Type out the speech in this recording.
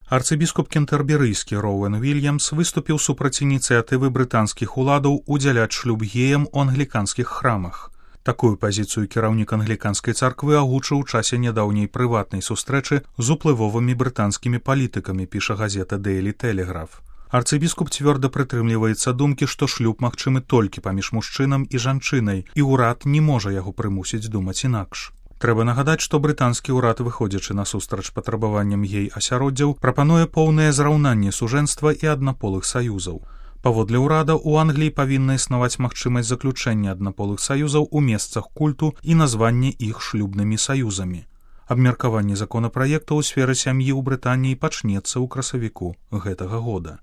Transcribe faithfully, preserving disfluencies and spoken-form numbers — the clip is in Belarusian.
Арцыбіскуп кентэрберыйскі Роуэн Вільямс выступіў супраць ініцыятывы брытанскіх уладаў удзяляць шлюб геям у англіканскіх храмах. Такую пазіцыю кіраўнік англіканскай царквы агучыў у часе нядаўняй прыватнай сустрэчы з уплывовымі брытанскімі палітыкамі, піша газета Daily Telegraph. Арцыбіскуп цвёрда прытрымліваецца думкі, што шлюб магчымы толькі паміж мужчынам і жанчынай, і ўрад не можа яго прымусіць думаць інакш. Трэба нагадаць, што брытанскі ўрад, выходзячы насустрач патрабаванням гей-асяроддзяў, прапануе поўнае зраўнанне сужэнства і аднаполых саюзаў. Паводле ўрада, у Англіі павінна існаваць магчымасць заключэння аднаполых саюзаў у месцах культу і названне іх шлюбнымі саюзамі. Абмеркаванне законапраекту ў сферы сям'і ў Брытаніі пачнецца ў красавіку гэтага года.